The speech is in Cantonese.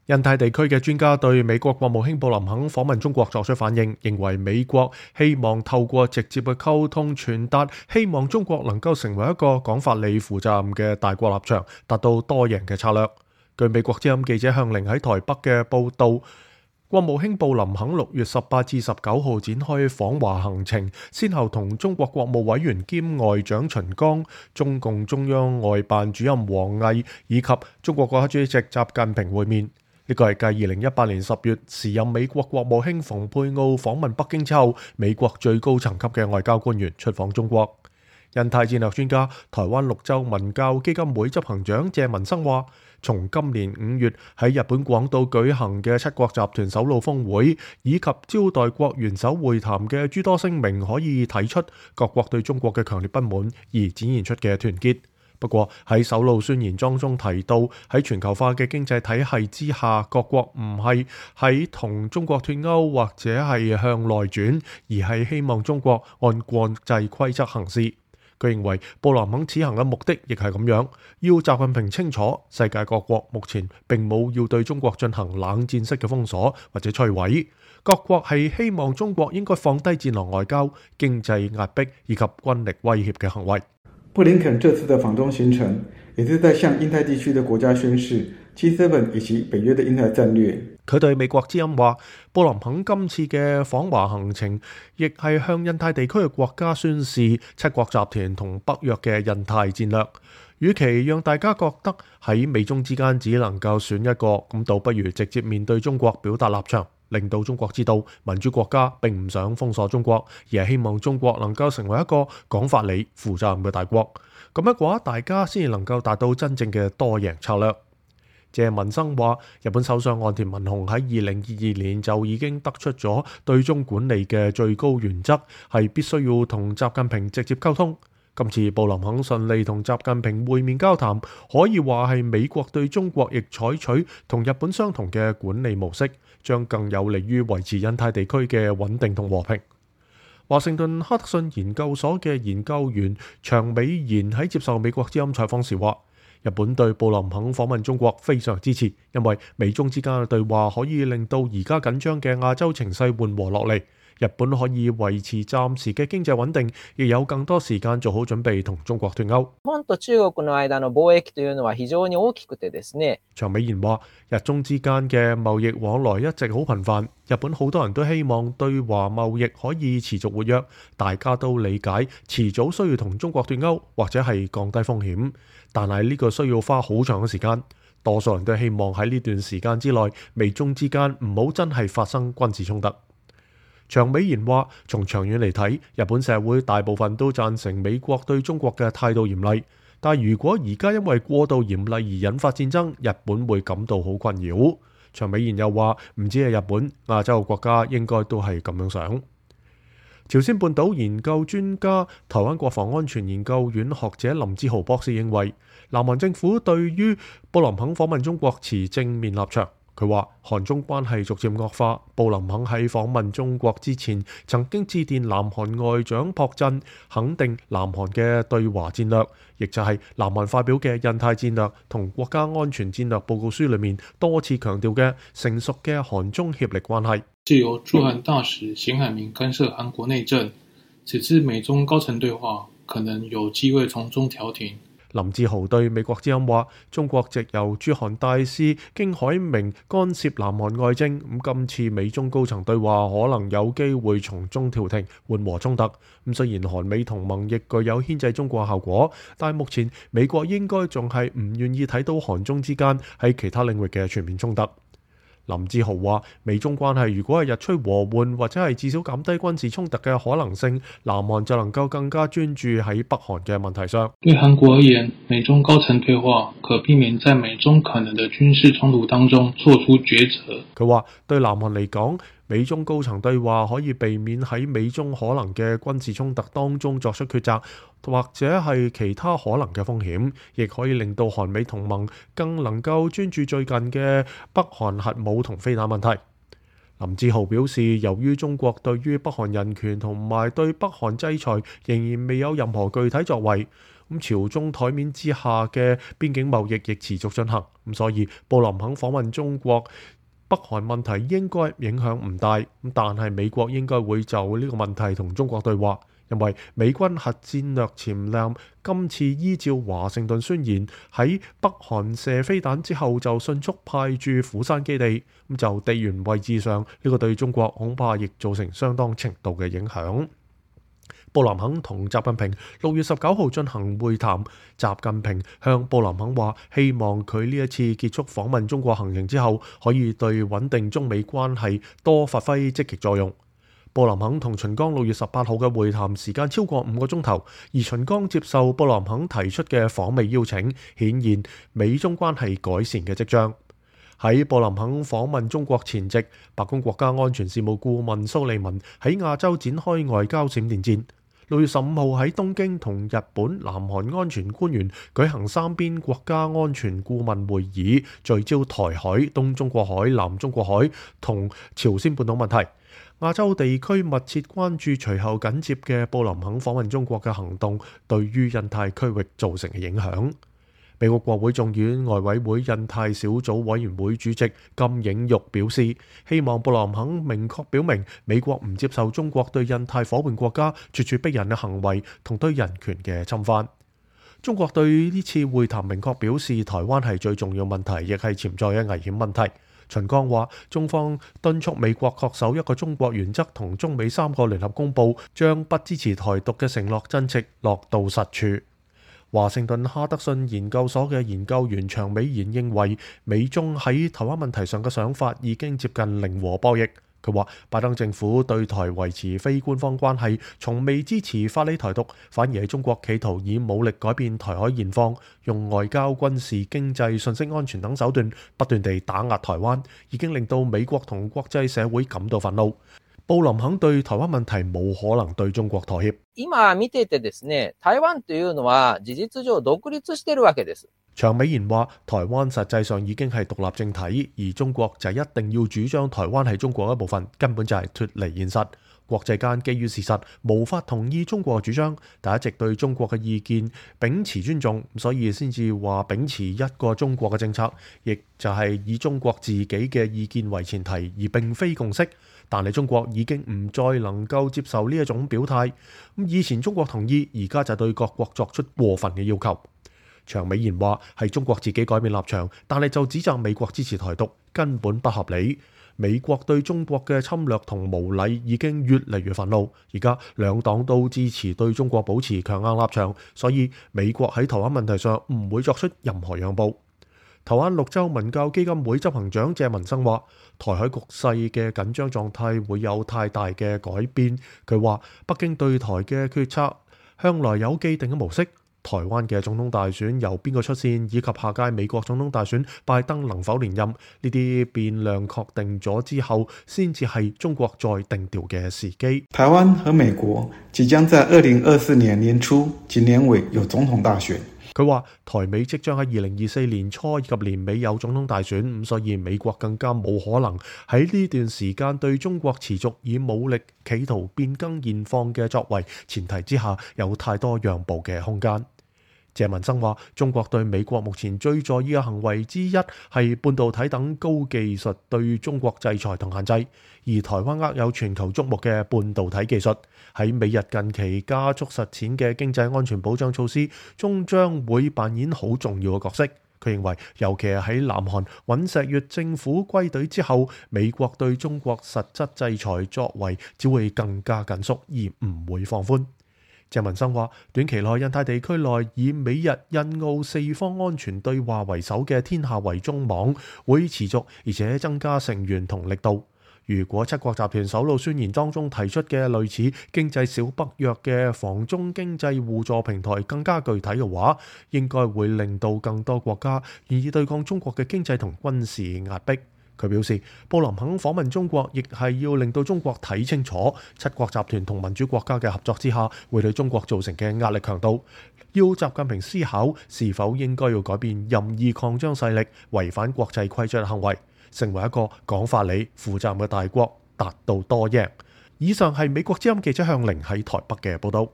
印太地區嘅專家對美國國務卿布林肯訪問中國作出反應，認為美國希望透過直接嘅溝通傳達，希望中國能夠成為一個講法理、負責任嘅大國立場，達到多贏嘅策略。據美國之音記者向玲喺台北嘅報導，國務卿布林肯6月18至19號展開訪華行程，先後同中國國務委員兼外長秦剛、中共中央外辦主任王毅以及中國國家主席習近平會面。呢個係繼2018年10月時任美國國務卿蓬佩奧訪問北京之後，美國最高層級嘅外交官員出訪中國。印太戰略專家、台灣綠洲文教基金會執行長謝文生話，從今年5月喺日本廣島舉行嘅七國集團首腦峰會，以及招待國元首會談嘅諸多聲明，可以睇出各國對中國嘅強烈不滿而展現出嘅團結。不過喺首腦宣言當中提到，喺全球化嘅經濟體系之下，各國唔係喺同中國脫鈎或者係向內轉，而係希望中國按國際規則行事。佢認為布林肯此行嘅目的亦係咁樣，要習近平清楚世界各國目前並冇要對中國進行冷戰式嘅封鎖或者摧毀，各國係希望中國應該放低戰狼外交、經濟壓迫以及軍力威脅嘅行為。布林肯這次的訪中行程，也是在向印太地區的國家宣示 G7 以及北約的印太戰略。佢對美國之音話，布林肯今次嘅訪華行程，亦係向印太地區嘅國家宣示七國集團同北約嘅印太戰略。與其讓大家覺得喺美中之間只能夠選一個，咁倒不如直接面對中國表達立場，令到中國知道民主國家並唔想封鎖中國，而係希望中國能夠成為一個講法理、負責任嘅大國。咁樣嘅話，大家先至能夠達到真正嘅多贏策略。謝文生話，日本首相岸田文雄喺2022年就已經得出咗對中管理嘅最高原則，係必須要同習近平直接溝通。今次布林肯順利同習近平會面交談，可以話係美國對中國亦採取同日本相同嘅管理模式，將更有利於維持印太地區嘅穩定同和平。華盛頓哈德遜研究所嘅研究員長美賢喺接受美國之音採訪時話，日本對布林肯訪問中國非常支持，因為美中之間嘅對話可以令到而家緊張嘅亞洲情勢緩和落嚟。日本可以維持暫時嘅經濟穩定，亦有更多時間做好準備同中國脫鈎。日本と中國の間の貿易というのは非常に大きくてですね。長美賢話，日中之間嘅貿易往來一直好頻繁，日本好多人都希望對華貿易可以持續活躍，大家都理解遲早需要同中國脫鈎或者係降低風險，但係呢個需要花好長嘅時間。多數人都希望喺呢段時間之內，美中之間唔好真係發生軍事衝突。長美賢話，從長遠嚟睇，日本社會大部分都贊成美國對中國嘅態度嚴厲，但如果而家因為過度嚴厲而引發戰爭，日本會感到好困擾。長美賢又話，唔止係日本，亞洲嘅國家應該都係咁樣想。朝鮮半島研究專家、台灣國防安全研究院學者林志豪博士認為，南韓政府對於布林肯訪問中國持正面立場。佢話韓中關係逐漸惡化，布林肯喺訪問中國之前曾經致電南韓外長朴振，肯定南韓嘅對華戰略，亦就係南韓發表嘅印太戰略同國家安全戰略報告書裏面多次強調嘅成熟嘅韓中協力關係。是由駐韓大使咸海明干涉韓國內政，此次美中高層對話可能有機會從中調停。林志豪對美國之音話，中國藉由駐韓大使經海明干涉南韓外政，今次美中高層對話可能有機會從中調停，緩和衝突。雖然韓美同盟亦具有牽制中國效果，但目前美國應該仲係唔願意睇到韓中之間喺其他領域嘅全面衝突。林志豪話，美中關係如果係日趨和緩，或者係至少減低軍事衝突嘅可能性，南韓就能夠更加專注喺北韓嘅問題上。對韓國而言，美中高層對話可避免在美中可能的軍事衝突當中做出抉擇。佢話對南韓嚟講，美中高層對話可以避免喺美中可能嘅軍事衝突當中作出抉擇，或者係其他可能嘅風險，亦可以令到韓美同盟更能夠專注最近嘅北韓核武同飛彈問題。林志豪表示，由於中國對於北韓人權同埋對北韓制裁仍然未有任何具體作為，咁朝中台面之下嘅邊境貿易亦持續進行，咁所以布林肯訪問中國北韓問題應該影響唔大，咁但係美國應該會就呢個問題同中國對話，因為美軍核戰略潛艦今次依照華盛頓宣言喺北韓射飛彈之後就迅速派駐釜山基地，咁就地緣位置上呢個對中國恐怕亦造成相當程度嘅影響。布林肯同習近平6月19號進行會談，習近平向布林肯話，希望佢呢一次結束訪問中國行程之後，可以對穩定中美關係多發揮積極作用。布林肯同秦剛6月18號嘅會談時間超過5個鐘頭，而秦剛接受布林肯提出嘅訪美邀請，顯現美中關係改善嘅跡象。喺布林肯訪問中國前夕，白宮國家安全事務顧問蘇利文喺亞洲展開外交閃電戰。6月15號喺東京同日本、南韓安全官員舉行三邊國家安全顧問會議，聚焦台海、東中國海、南中國海同朝鮮半島問題。亞洲地區密切關注隨後緊接嘅布林肯訪問中國嘅行動對於印太區域造成嘅影響。美國國會眾院外委會印太小組委員會主席金映玉表示，希望布林肯明確表明美國唔接受中國對印太夥伴國家咄咄逼人嘅行為同對人權嘅侵犯。中國對呢次會談明確表示，台灣係最重要問題，亦係潛在嘅危險問題。秦剛話，中方敦促美國恪守一個中國原則同中美3個聯合公報，將不支持台獨嘅承諾真直落到實處。華盛頓哈德遜研究所嘅研究員長美賢認為，美中喺台灣問題上嘅想法已經接近零和博弈。佢話，拜登政府對台維持非官方關係，從未支持法理台獨，反而係中國企圖以武力改變台海現況，用外交、軍事、經濟、信息安全等手段不斷地打壓台灣，已經令到美國同國際社會感到憤怒。布林肯對台灣問題冇可能對中國妥協。今見ててですね、台灣というのは事実上獨立しているわけです。長美賢話，台灣實際上已經係獨立政體，而中國就一定要主張台灣係中國一部分，根本就係脫離現實。國際間基於事實無法同意中國嘅主張，但一直對中國嘅意見秉持尊重，所以先至話秉持一個中國嘅政策，亦就係以中國自己嘅意見為前提，而並非共識。但係中國已經唔再能夠接受呢一種表態。以前中國同意，而家就對各國作出過分嘅要求。長美賢話，係中國自己改變立場，但係就指責美國支持台獨，根本不合理。美國對中國嘅侵略同無禮已經越嚟越憤怒，而家兩黨都支持對中國保持強硬立場，所以美國喺台灣問題上唔會作出任何讓步。台灣綠洲文教基金會執行長謝文生話，台海局勢嘅緊張狀態會有太大嘅改變。佢話，北京對台嘅決策向來有既定嘅模式。台灣嘅總統大選由邊個出線，以及下屆美國總統大選拜登能否連任，呢啲變量確定咗之後，先至係中國再定調嘅時機。台灣和美國即將在2024年年初及年尾有總統大選。佢話，台美即將喺2024年初以及年尾有總統大選，咁所以美國更加冇可能喺呢段時間對中國持續以武力企圖變更現況嘅作為前提之下，有太多讓步嘅空間。謝文生話，中國對美國目前最在意嘅行為之一係半導體等高技術對中國制裁同限制，而台灣握有全球矚目嘅半導體技術，喺美日近期加速實踐嘅經濟安全保障措施中將會扮演好重要嘅角色。佢認為，尤其係喺南韓尹錫悅政府歸隊之後，美國對中國實質制裁作為只會更加緊縮，而唔會放寬。謝文生話，短期內印太地區內以美日印澳四方安全對話為首嘅天下圍中網會持續，而且增加成員同力度。如果七國集團首腦宣言當中提出嘅類似經濟小北約嘅防中經濟互助平台更加具體嘅話，應該會令到更多國家願意對抗中國嘅經濟同軍事壓迫。佢表示，布林肯訪問中國亦係要令到中國睇清楚七國集團同民主國家嘅合作之下會對中國造成嘅壓力強度，要習近平思考是否應該要改變任意擴張勢力、違反國際規則嘅行為，成為一個講法理、負責任嘅大國，達到多贏。以上係美國之音記者向凌喺台北嘅報道。